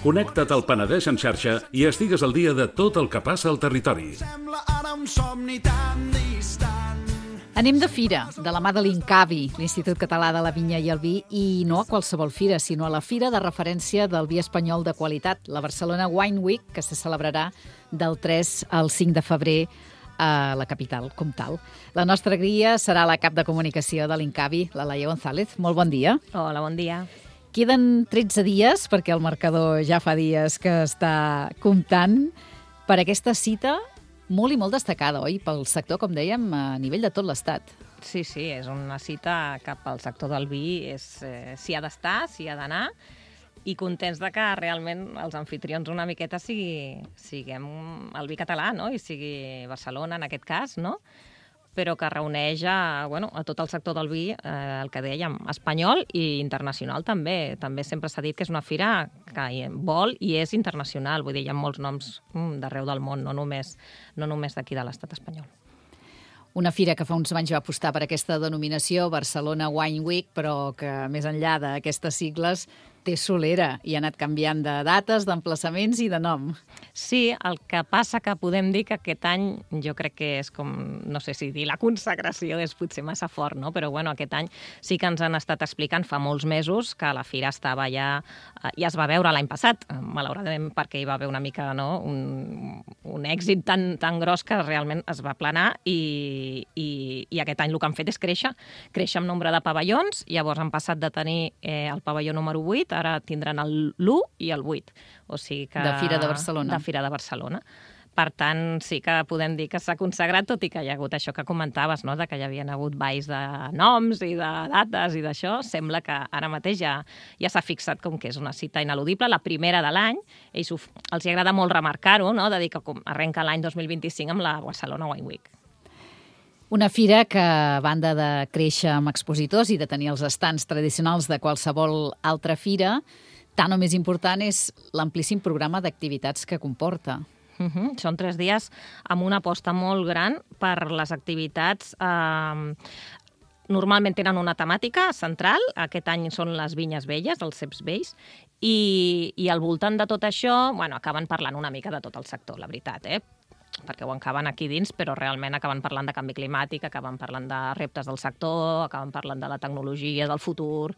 Connecta't al Penedès en xarxa i estigues al dia de tot el que passa al territori. Anem de fira, de la mà de l'INCAVI, l'Institut Català de la Vinya i el Vi, i no a qualsevol fira, sinó a la fira de referència del vi espanyol de qualitat, la Barcelona Wine Week, que se celebrarà del tres al cinc de febrer a la capital, com tal. La nostra guia serà la cap de comunicació de l'INCAVI, la Laia González. Molt bon dia. Hola, bon dia. Queden tretze dies, perquè el marcador ja fa dies que està comptant, per aquesta cita molt i molt destacada, oi? Pel sector, com dèiem, a nivell de tot l'Estat. Sí, sí, és una cita que pel sector del vi és, eh, s'hi ha d'estar, s'hi ha d'anar, i contents de que realment els anfitrions una miqueta sigui, siguem el vi català, no? I sigui Barcelona, en aquest cas, no? Però que reuneix a, bueno, a tot el sector del vi, eh, el que dèiem, espanyol i internacional també. També sempre s'ha dit que és una fira que vol i és internacional, vull dir, hi ha molts noms mm, d'arreu del món, no només, no només d'aquí de l'estat espanyol. Una fira que fa uns anys va apostar per aquesta denominació, Barcelona Wine Week, però que més enllà d'aquestes sigles té solera i ha anat canviant de dates, d'emplaçaments i de nom. Sí, el que passa que podem dir que aquest any jo crec que és com, no sé si dir la consagració és potser massa fort, no? Però bueno, aquest any sí que ens han estat explicant fa molts mesos que la fira estava ja, ja es va veure l'any passat, malauradament perquè hi va haver una mica, no? un, un èxit tan, tan gros que realment es va planar i, i, i aquest any el que han fet és créixer, créixer amb nombre de pavellons, llavors han passat de tenir eh, el pavelló número vuit, ara tindran l'u i el vuit. O sigui que... De Fira de Barcelona. De Fira de Barcelona. Per tant, sí que podem dir que s'ha consagrat, tot i que hi ha hagut això que comentaves, no? De que hi havia hagut balls de noms i de dates i d'això. Sembla que ara mateix ja, ja s'ha fixat com que és una cita ineludible, la primera de l'any. Ells ho, els agrada molt remarcar-ho, no? De dir que arrenca l'any dos mil vint-i-cinc amb la Barcelona Wine Week. Una fira que, a banda de créixer amb expositors i de tenir els estants tradicionals de qualsevol altra fira, tant o més important és l'amplíssim programa d'activitats que comporta. Uh-huh. Són tres dies amb una aposta molt gran per les activitats. Eh, normalment tenen una temàtica central, aquest any són les vinyes velles, els ceps vells, i, i al voltant de tot això, bueno, acaben parlant una mica de tot el sector, la veritat, eh? perquè ho acaben aquí dins, però realment acaben parlant de canvi climàtic, acaben parlant de reptes del sector, acaben parlant de la tecnologia, del futur,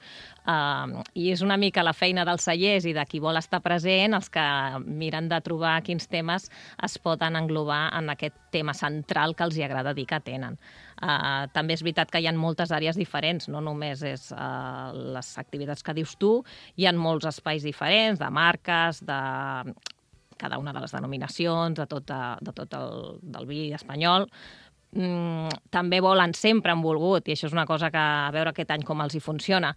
eh, i és una mica la feina dels cellers i de qui vol estar present, els que miren de trobar quins temes es poden englobar en aquest tema central que els hi agrada dir que tenen. Uh, també és veritat que hi ha moltes àrees diferents, no només és uh, les activitats que dius tu, hi ha molts espais diferents, de marques, de cada una de les denominacions, de tot, de, de tot el del vi espanyol. Mm, també volen, sempre han volgut, i això és una cosa que a veure aquest any com els hi funciona,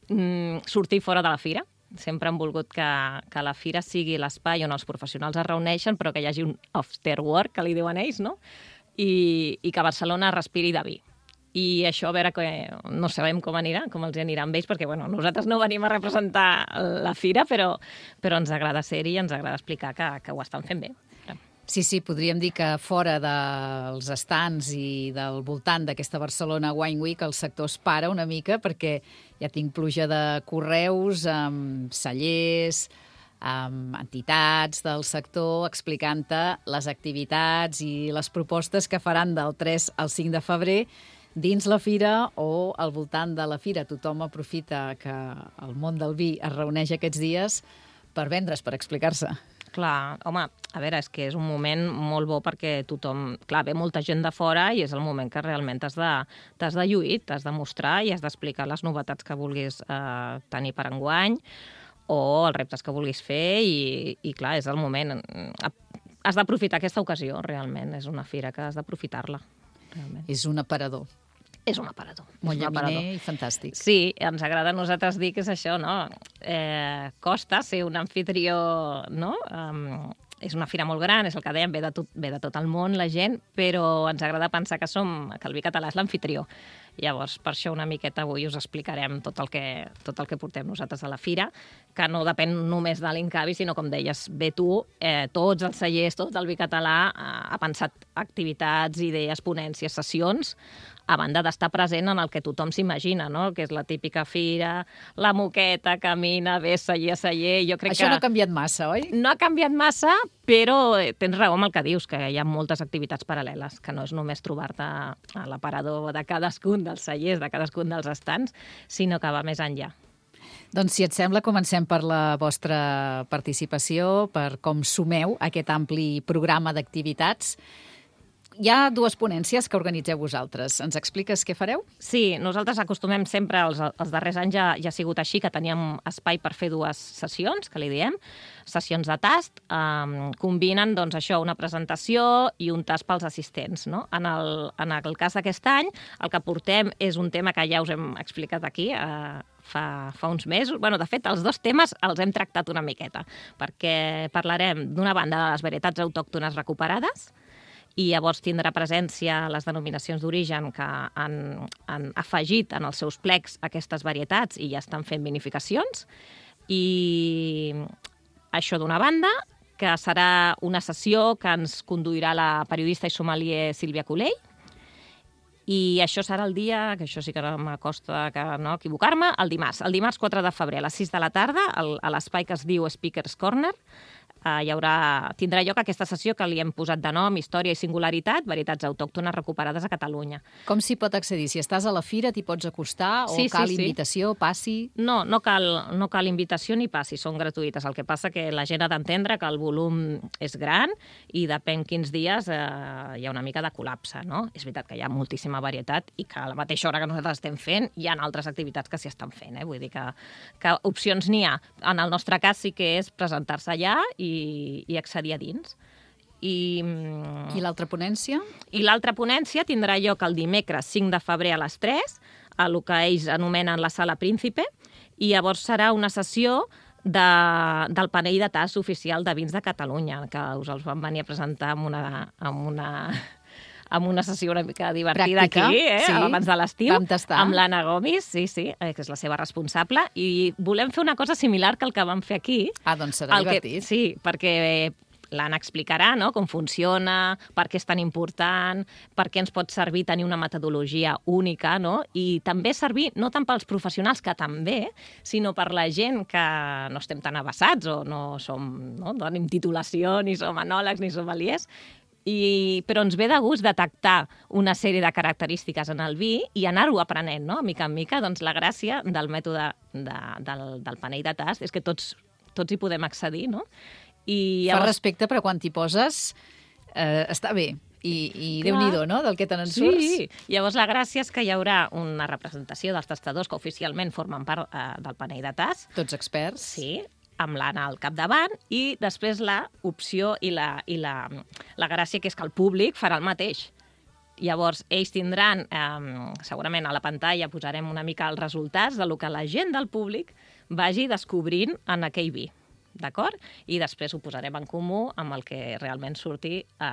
mm, sortir fora de la fira. Sempre han volgut que, que la fira sigui l'espai on els professionals es reuneixen, però que hi hagi un after work, que li diuen ells, no? I, i que Barcelona respiri de vi. I això, a veure, que no sabem com anirà, com els anirà amb ells, perquè bueno, nosaltres no venim a representar la fira, però, però ens agrada ser-hi i ens agrada explicar que, que ho estan fent bé. Sí, sí, podríem dir que fora dels estants i del voltant d'aquesta Barcelona Wine Week el sector es para una mica perquè ja tinc pluja de correus amb cellers, amb entitats del sector explicant-te les activitats i les propostes que faran del tres al cinc de febrer dins la fira o al voltant de la fira. Tothom aprofita que el món del vi es reuneix aquests dies per vendre's, per explicar-se. Clar, home, a veure, és que és un moment molt bo perquè tothom... Clar, ve molta gent de fora i és el moment que realment t'has de, t'has de lluir, t'has de mostrar i has d'explicar les novetats que vulguis eh, tenir per enguany o els reptes que vulguis fer i, i clar, és el moment. Has d'aprofitar aquesta ocasió, realment. És una fira que has d'aprofitar-la. Realment. És un aparador. És un aparador. Molt llaminer i fantàstic. Sí, ens agrada a nosaltres dir que és això, no? Eh, costa ser un anfitrió, no? Um, és una fira molt gran, és el que dèiem, ve de, tot, ve de tot el món la gent, però ens agrada pensar que som, que el vi català és l'anfitrió. Llavors, per això una miqueta avui us explicarem tot el que, tot el que portem nosaltres a la fira, que no depèn només de l'Incavi, sinó, com deies, bé tu, eh, tots els cellers, tot el vi català eh, ha pensat activitats, idees, ponències, sessions, a banda d'estar present en el que tothom s'imagina, no? Que és la típica fira, la moqueta, camina, ve celler a celler. Jo crec Això que no ha canviat massa, oi? No ha canviat massa, però tens raó amb el que dius, que hi ha moltes activitats paral·leles, que no és només trobar-te a l'aparador de cadascun dels cellers, de cadascun dels estants, sinó que va més enllà. Doncs, si et sembla, comencem per la vostra participació, per com sumeu aquest ampli programa d'activitats. hi ha dues ponències que organitzeu vosaltres. Ens expliques què fareu? Sí, nosaltres acostumem sempre, els, els darrers anys ja, ja ha sigut així, que teníem espai per fer dues sessions, que li diem, sessions de tast, eh, combinen doncs, això, una presentació i un tast pels assistents. No? En, el, en el cas d'aquest any, el que portem és un tema que ja us hem explicat aquí, eh, fa, fa uns mesos. Bueno, de fet, els dos temes els hem tractat una miqueta, perquè parlarem d'una banda de les varietats autòctones recuperades, i llavors tindrà presència les denominacions d'origen que han, han afegit en els seus plecs aquestes varietats i ja estan fent vinificacions. I això d'una banda, que serà una sessió que ens conduirà la periodista i sommelier Sílvia Colell, i això serà el dia, que això sí que no m'acosta que no equivocar-me, el dimarts. El dimarts quatre de febrer a les sis de la tarda, a l'espai que es diu Speaker's Corner, hi haurà, tindrà lloc aquesta sessió que li hem posat de nom Història i Singularitat, varietats autòctones recuperades a Catalunya. Com s'hi pot accedir? Si estàs a la fira, t'hi pots acostar? O sí, cal sí, sí. invitació, passi? No, no cal, no cal invitació ni passi, són gratuïtes. El que passa que la gent ha d'entendre que el volum és gran i depèn quins dies eh, hi ha una mica de col·lapse, no? És veritat que hi ha moltíssima varietat i que a la mateixa hora que nosaltres estem fent hi ha altres activitats que s'hi estan fent, eh? Vull dir que, que opcions n'hi ha. En el nostre cas sí que és presentar-se allà i i, i accedir a dins. I, I l'altra ponència? I l'altra ponència tindrà lloc el dimecres cinc de febrer a les tres, a el que ells anomenen la Sala Príncipe, i llavors serà una sessió de, del panell de tast oficial de vins de Catalunya, que us els van venir a presentar amb una... Amb una amb una sessió una mica divertida Pràctica, aquí, eh? sí. Abans de l'estiu, Vam tastar. amb l'Anna Gomis, sí, sí, eh, que és la seva responsable, i volem fer una cosa similar que el que vam fer aquí. Ah, doncs serà el divertit. Que, sí, perquè l'Anna explicarà no, com funciona, per què és tan important, per què ens pot servir tenir una metodologia única, no? I també servir no tant pels professionals, que també, sinó per la gent que no estem tan avasats o no som, no, no tenim titulació, ni som enòlegs, ni sommeliers, I, però ens ve de gust detectar una sèrie de característiques en el vi i anar-ho aprenent, no? Mica en mica. Doncs la gràcia del mètode de, del, del panell de tast és que tots, tots hi podem accedir, no? I llavors... llavors... Fa respecte, però quan t'hi poses eh, està bé. I, i Déu-n'hi-do, no?, del que te n'en surts. Sí, llavors la gràcia és que hi haurà una representació dels tastadors que oficialment formen part eh, del panell de tast. Tots experts. Sí, amb l'Anna al capdavant, i després la opció i, la, i la, la gràcia que és que el públic farà el mateix. Llavors, ells tindran, eh, segurament a la pantalla posarem una mica els resultats de lo que la gent del públic vagi descobrint en aquell vi, d'acord? I després ho posarem en comú amb el que realment surti eh,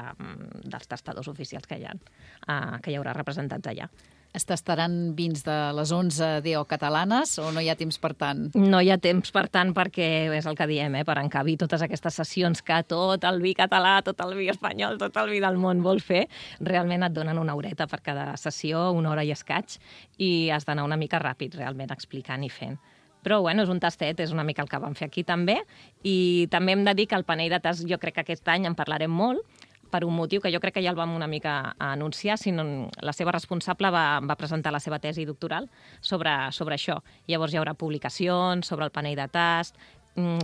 dels tastadors oficials que hi ha, eh, que hi haurà representats allà. Es tastaran vins de les onze D O catalanes o no hi ha temps per tant? No hi ha temps per tant perquè és el que diem, eh, per encabir totes aquestes sessions que tot el vi català, tot el vi espanyol, tot el vi del món vol fer, realment et donen una horeta per cada sessió, una hora i escaig, i has d'anar una mica ràpid realment explicant i fent. Però, bueno, és un tastet, és una mica el que vam fer aquí també, i també hem de dir que el panell de tast, jo crec que aquest any en parlarem molt, per un motiu que jo crec que ja el vam una mica anunciar, sinó la seva responsable va, va presentar la seva tesi doctoral sobre, sobre això. Llavors hi haurà publicacions sobre el panell de tast,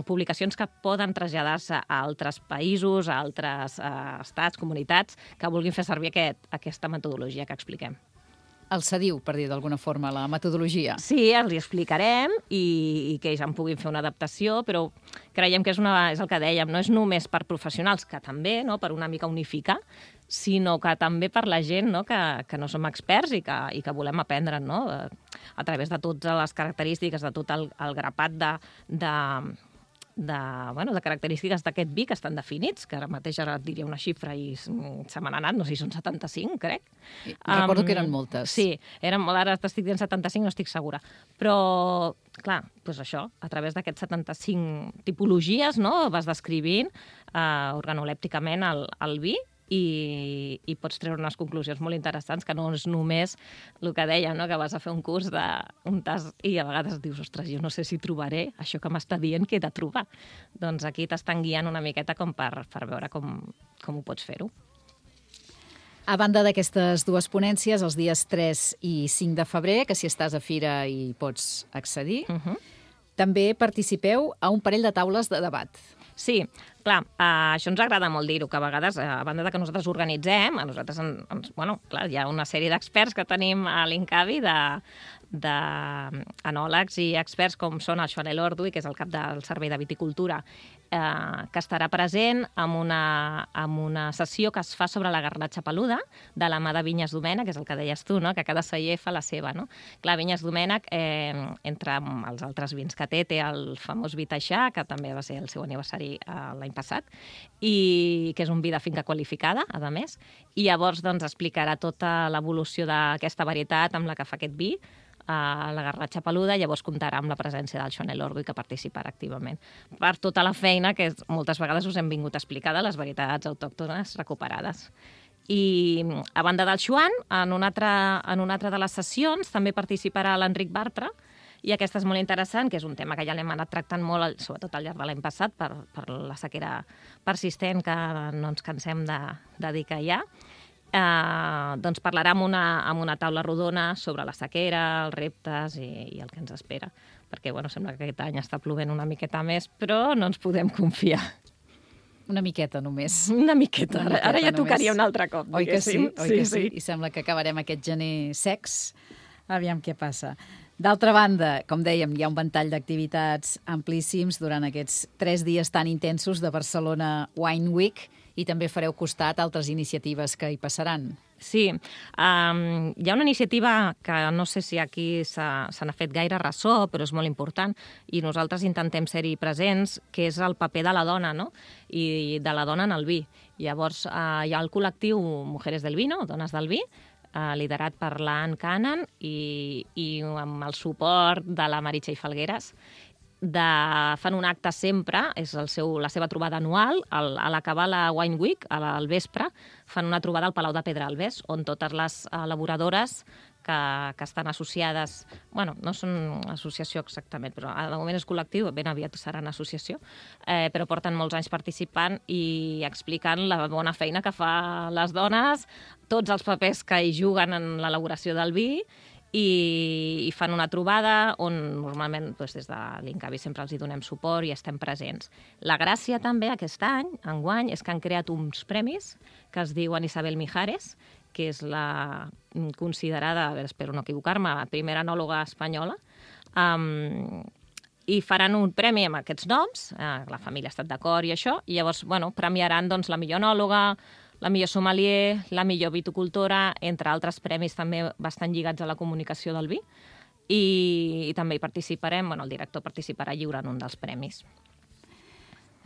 publicacions que poden traslladar-se a altres països, a altres eh, estats, comunitats, que vulguin fer servir aquest, aquesta metodologia que expliquem. El cediu, per dir d'alguna forma, la metodologia. Sí, els hi explicarem i, i que ells en puguin fer una adaptació, però creiem que és, una, és el que dèiem, no és només per professionals, que també, no, per una mica unificar, sinó que també per la gent, no, que, que no som experts i que, i que volem aprendre, no, a través de totes les característiques, de tot el, el grapat de... de De, bueno, de característiques d'aquest vi que estan definits, que ara mateix ara et diria una xifra i se me n'ha anat, no sé si són setanta-cinc, crec. Recordo um, que eren moltes. Sí, eren molt, ara t'estic dient setanta-cinc, no estic segura. Però, clar, doncs això, a través d'aquests setanta-cinc tipologies, no, vas descrivint uh, organolèpticament el, el vi, i, i pots treure unes conclusions molt interessants, que no és només el que dèiem, no? Que vas a fer un curs d'un tast i a vegades dius, ostres, jo no sé si trobaré això que m'està dient que he de trobar. Doncs aquí t'estan guiant una miqueta com per, per veure com, com ho pots fer-ho. A banda d'aquestes dues ponències, els dies tres i cinc de febrer, que si estàs a fira hi pots accedir, Uh-huh. també participeu a un parell de taules de debat. Sí, clar, uh, això ens agrada molt dir-ho, que a vegades, a banda de que nosaltres organitzem, a nosaltres, en, ens, bueno, clar, hi ha una sèrie d'experts que tenim a l'Incavi de d'anòlegs i experts com són el Joan Elordu, que és el cap del Servei de Viticultura, eh, que estarà present en una, en una sessió que es fa sobre la garnatxa peluda de la mà de Vinyes Domènech, que és el que deies tu, no? Que cada celler fa la seva. No? Clar, Vinyes Domènech, eh, entre els altres vins que té, té el famós vi Taixà, que també va ser el seu aniversari eh, l'any passat, i que és un vi de finca qualificada, a més, i llavors doncs, explicarà tota l'evolució d'aquesta varietat amb la que fa aquest vi, a la garnatxa peluda, llavors comptarà amb la presència del Joan Elordu i que participarà activament. Per tota la feina que moltes vegades us hem vingut a explicar de les varietats autòctones recuperades. I a banda del Joan, en una altra, en una altra de les sessions també participarà l'Enric Bartra, i aquesta és molt interessant, que és un tema que ja l'hem anat tractant molt, sobretot al llarg de l'any passat, per, per la sequera persistent que no ens cansem de, de dir que hi ha. Eh, doncs parlarà amb una, amb una taula rodona sobre la sequera, els reptes i, i el que ens espera. Perquè, bueno, sembla que aquest any està plovent una miqueta més, però no ens podem confiar. Una miqueta només. Una miqueta. Una miqueta Ara ja tocaria només. un altre cop. Oi que sí? Oi sí, que sí? sí. I sembla que acabarem aquest gener secs. Aviam què passa. D'altra banda, com dèiem, hi ha un ventall d'activitats amplíssims durant aquests tres dies tan intensos de Barcelona Wine Week, i també fareu costat a altres iniciatives que hi passaran. Sí, um, hi ha una iniciativa que no sé si aquí se n'ha fet gaire ressò, però és molt important, i nosaltres intentem ser-hi presents, que és el paper de la dona, no? I de la dona en el vi. Llavors, uh, hi ha el col·lectiu Mujeres del Vino, Dones del Vi, uh, liderat per l'Ann Cannon i, i amb el suport de la Meritxell Falgueres, de, fan un acte sempre, és el seu, la seva trobada anual, al, a l'acabar la Wine Week, al vespre, fan una trobada al Palau de Pedralbes, on totes les elaboradores que, que estan associades, bueno, no són associació exactament, però de moment és col·lectiu, ben aviat seran associació, eh, però porten molts anys participant i explicant la bona feina que fa les dones, tots els papers que hi juguen en l'elaboració del vi, i, i fan una trobada on normalment doncs, des de l'Incavi sempre els hi donem suport i estem presents. La gràcia també aquest any, enguany, és que han creat uns premis que es diuen Isabel Mijares, que és la considerada, a veure, espero no equivocar-me, la primera enòloga espanyola, um, i faran un premi amb aquests noms, eh, la família ha estat d'acord i això, i llavors bueno, premiaran doncs, la millor enòloga, la millor sommelier, la millor viticultora, entre altres premis també bastant lligats a la comunicació del vi, i, i també hi participarem, bueno, el director participarà lliurant un dels premis.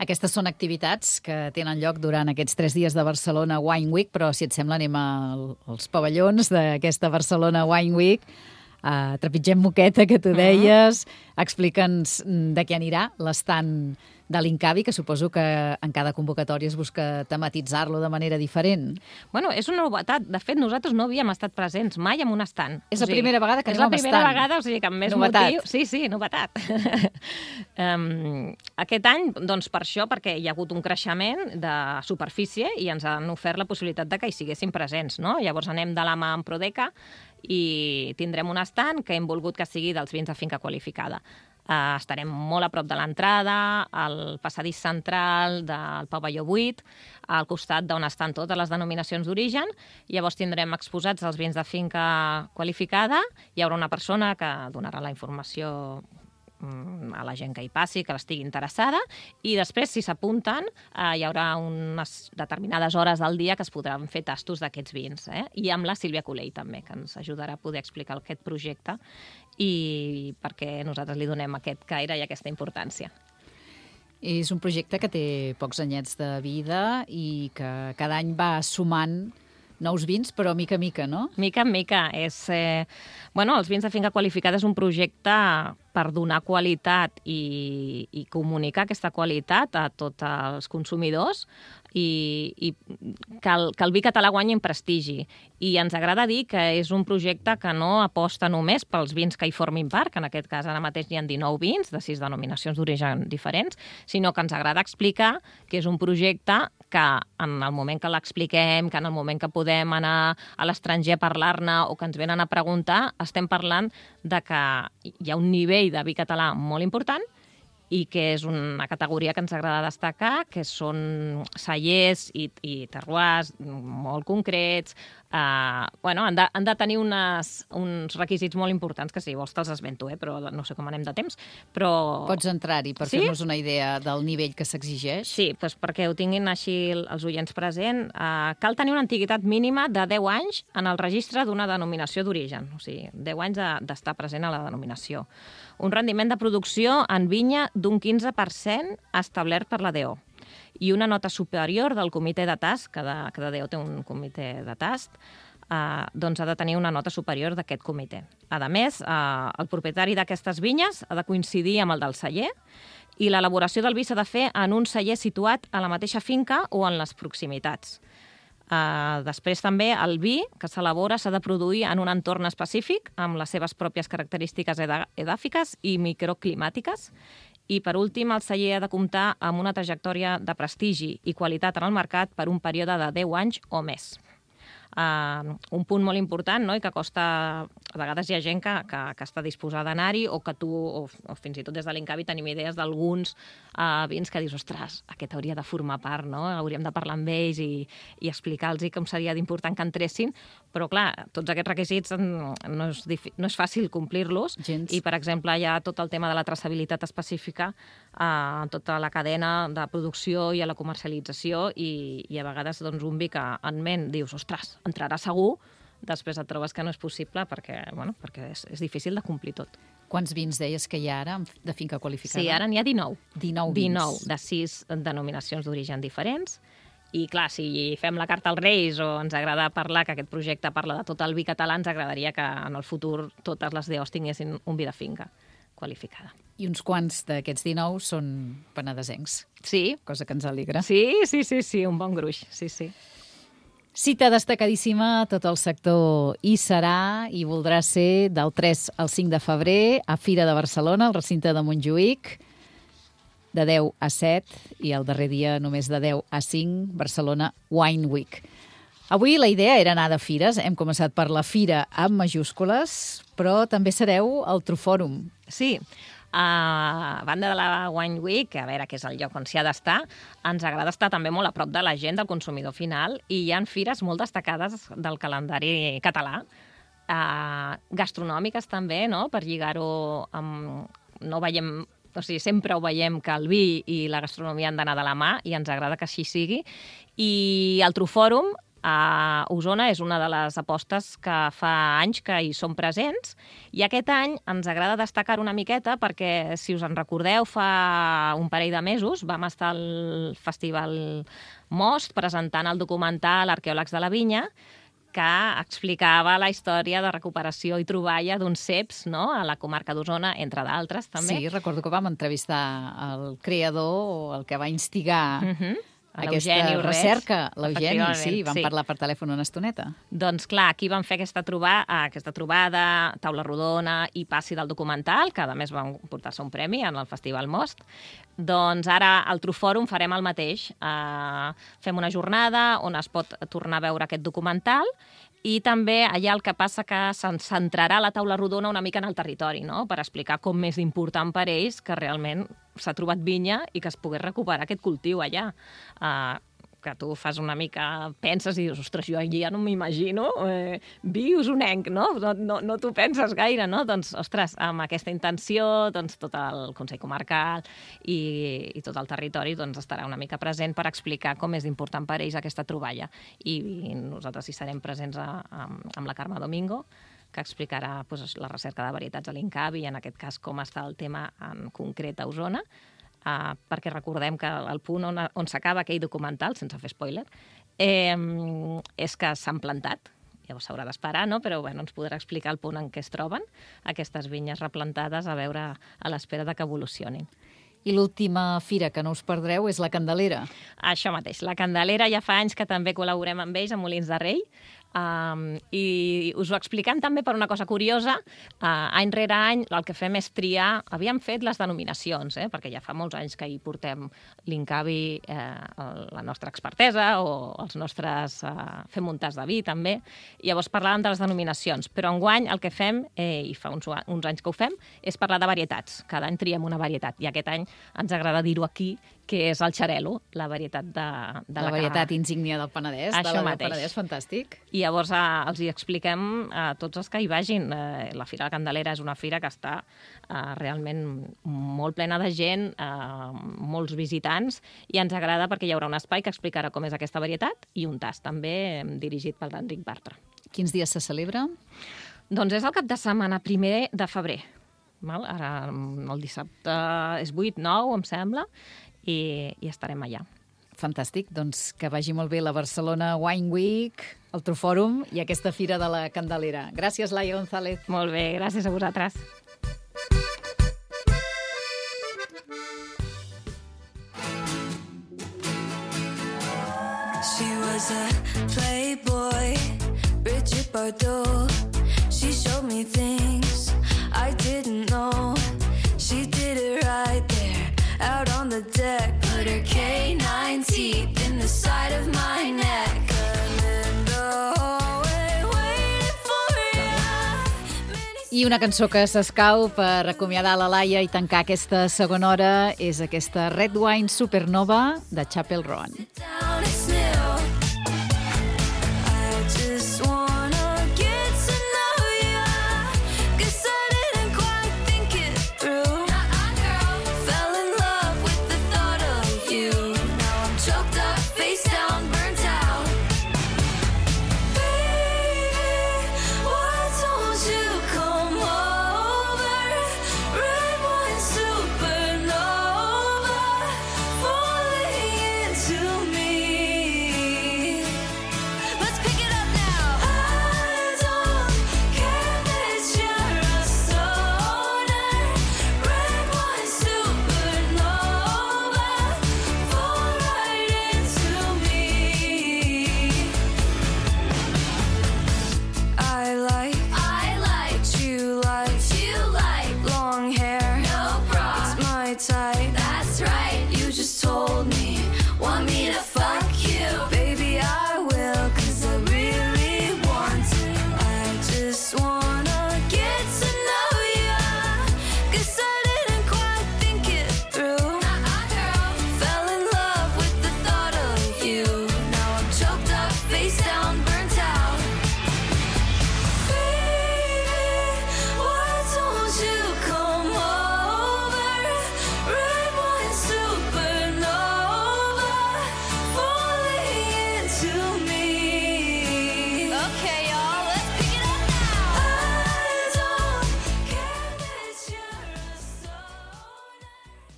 Aquestes són activitats que tenen lloc durant aquests tres dies de Barcelona Wine Week, però si et sembla anem als pavellons d'aquesta Barcelona Wine Week. Uh, trepitgem moqueta, que tu deies, explica'ns de què anirà l'estand de l'Incavi, que suposo que en cada convocatòria es busca tematitzar-lo de manera diferent. Bueno, és una novetat. De fet, nosaltres no havíem estat presents mai en un estand. És la primera vegada que anem amb estand. És la primera estand. vegada, o sigui que amb més novetat. motiu... Sí, sí, novetat. um, aquest any, doncs per això, perquè hi ha hagut un creixement de superfície i ens han ofert la possibilitat de que hi siguessin presents, no? Llavors anem de la mà amb Prodeca i tindrem un stand que hem volgut que sigui dels vins de finca qualificada. Uh, estarem molt a prop de l'entrada, al passadís central del pavelló vuit, al costat d'on estan totes les denominacions d'origen. Llavors tindrem exposats els vins de finca qualificada. Hi haurà una persona que donarà la informació a la gent que hi passi, que l'estigui interessada, i després, si s'apunten, eh, hi haurà unes determinades hores del dia que es podran fer tastos d'aquests vins, eh? I amb la Sílvia Colell també, que ens ajudarà a poder explicar aquest projecte i perquè nosaltres li donem aquest caire i aquesta importància. És un projecte que té pocs anyets de vida i que cada any va sumant nous vins, però mica en mica, no? Mica en mica. És, eh, bueno, els vins de finca qualificada és un projecte per donar qualitat i, i comunicar aquesta qualitat a tots els consumidors i, i que, el, que el vi català guanyi en prestigi. I ens agrada dir que és un projecte que no aposta només pels vins que hi formin part, que en aquest cas ara mateix hi ha dinou vins de sis denominacions d'origen diferents, sinó que ens agrada explicar que és un projecte que en el moment que l'expliquem, que en el moment que podem anar a l'estranger a parlar-ne o que ens venen a preguntar, estem parlant de que hi ha un nivell de vi català molt important i que és una categoria que ens agrada destacar, que són cellers i, i terroirs molt concrets. Uh, bueno, han de, han de tenir unes, uns requisits molt importants, que si vols te'ls esmento, eh? Però no sé com anem de temps. Però... Pots entrar-hi per sí? fer-nos una idea del nivell que s'exigeix? Sí, doncs perquè ho tinguin així els oients present. Uh, cal tenir una antiguitat mínima de deu anys en el registre d'una denominació d'origen, o sigui, deu anys d'estar present a la denominació. Un rendiment de producció en vinya d'un quinze per cent establert per la D O i una nota superior del comitè de tast, cada, cada D O té un comitè de tast, eh, doncs ha de tenir una nota superior d'aquest comitè. A més, eh, el propietari d'aquestes vinyes ha de coincidir amb el del celler i l'elaboració del vi s'ha de fer en un celler situat a la mateixa finca o en les proximitats. Uh, després també el vi que s'elabora s'ha de produir en un entorn específic amb les seves pròpies característiques edàfiques i microclimàtiques. I, per últim, el celler ha de comptar amb una trajectòria de prestigi i qualitat en el mercat per un període de deu anys o més. Uh, un punt molt important, no?, i que costa... A vegades hi ha gent que, que, que està disposada a anar-hi o que tu, o, o fins i tot des de l'Incavi, tenim idees d'alguns uh, vins que dius, ostres, aquest hauria de formar part, no? Hauríem de parlar amb ells i, i explicar-los com seria d'important que entressin, però clar, tots aquests requisits no és, no és fàcil complir-los. Gens. I, per exemple, hi ha tot el tema de la traçabilitat específica a uh, tota la cadena de producció i a la comercialització i, i a vegades doncs, un vi que en ment dius, ostres, entrarà segur, després et trobes que no és possible perquè, bueno, perquè és, és difícil de complir tot. Quants vins deies que hi ha ara de finca qualificada? Sí, ara n'hi ha dinou. dinou vins. dinou, de sis denominacions d'origen diferents. I clar, si fem la carta als Reis o ens agrada parlar, que aquest projecte parla de tot el vi català, ens agradaria que en el futur totes les D Os tinguessin un vi de finca qualificada. I uns quants d'aquests dinou són penedesencs. Sí. Cosa que ens alegra. Sí, sí, sí, sí, un bon gruix, sí, sí. Cita destacadíssima, tot el sector hi serà i voldrà ser del tres al cinc de febrer a Fira de Barcelona, al recinte de Montjuïc, de deu a set i el darrer dia només de deu a cinc, Barcelona Wine Week. Avui la idea era anar de fires, hem començat per la fira amb majúscules, però també sereu al Trufòrum. Sí, a banda de la Wine Week, a veure, que és el lloc on s'hi ha d'estar, ens agrada estar també molt a prop de la gent, del consumidor final, i hi ha fires molt destacades del calendari català, eh, gastronòmiques també, no?, per lligar-ho amb... No veiem... O sigui, sempre ho veiem que el vi i la gastronomia han d'anar de la mà i ens agrada que així sigui. I el Trufòrum a Osona és una de les apostes que fa anys que hi som presents i aquest any ens agrada destacar una miqueta perquè, si us en recordeu, fa un parell de mesos vam estar al Festival Most presentant el documental Arqueòlegs de la Vinya, que explicava la història de recuperació i troballa d'uns ceps, no?, a la comarca d'Osona, entre d'altres, també. Sí, recordo que vam entrevistar el creador o el que va instigar uh-huh. aquesta recerca, l'Eugeni, sí, vam sí. parlar per telèfon una estoneta. Doncs clar, aquí vam fer aquesta, troba, aquesta trobada, taula rodona i passi del documental, que a més van portar-se un premi en el Festival Most. Doncs ara al Trufòrum farem el mateix. Uh, fem una jornada on es pot tornar a veure aquest documental i també allà el que passa que se'n centrarà la taula rodona una mica en el territori, no?, per explicar com és important per ells que realment s'ha trobat vinya i que es pogués recuperar aquest cultiu allà. Uh, que tu fas una mica, penses i dius, ostres, jo ja no m'imagino, eh, vi usonenc, no? No, no? no t'ho penses gaire, no? Doncs, ostres, amb aquesta intenció, doncs tot el Consell Comarcal i, i tot el territori doncs, estarà una mica present per explicar com és important per ells aquesta troballa. I, i nosaltres hi serem presents a, a, amb la Carme Domingo, que explicarà doncs, la recerca de varietats a l'Incavi i en aquest cas com està el tema en concret a Osona. Uh, perquè recordem que el punt on, on s'acaba aquell documental, sense fer spoiler, eh, és que s'han plantat. Llavors s'haurà d'esperar, no? Però bueno, ens podrà explicar el punt en què es troben aquestes vinyes replantades a veure a l'espera de que evolucionin. I l'última fira que no us perdreu és la Candelera. Això mateix. La Candelera ja fa anys que també col·laborem amb ells, a Molins de Rei. Um, I us ho expliquem també per una cosa curiosa. Uh, any rere any el que fem és triar... Havíem fet les denominacions, eh? Perquè ja fa molts anys que hi portem l'Incavi, eh, la nostra expertesa, o els nostres... Uh, fem un tas de vi, també. I llavors parlàvem de les denominacions. Però enguany el que fem, eh, i fa uns, uns anys que ho fem, és parlar de varietats. Cada any triem una varietat. I aquest any ens agrada dir-ho aquí, que és el xarel·lo, la varietat de, de la, la varietat insígnia del Penedès. Això de la mateix. Penedès, fantàstic. I llavors eh, els hi expliquem a tots els que hi vagin. Eh, la Fira de la Candelera és una fira que està eh, realment molt plena de gent, eh, molts visitants, i ens agrada perquè hi haurà un espai que explicarà com és aquesta varietat i un tast també eh, dirigit pel Enric Bartra. Quins dies se celebra? Doncs és el cap de setmana primer de febrer. Val? Ara el dissabte és vuit, nou, em sembla, i, i estarem allà. Fantàstic, doncs que vagi molt bé la Barcelona Wine Week, el Trufòrum i aquesta Fira de la Candelera. Gràcies, Laia González. Molt bé, gràcies a vosaltres. She was a playboy, Bridget Bardot. She showed me things I didn't know. She did it right there, out on the deck. Put her canine teeth in the side of my neck. I'm in the hallway waiting for you. I una cançó que s'escau per acomiadar la Laia i tancar aquesta segona hora és aquesta Red Wine Supernova de Chapel Roan. Down, it's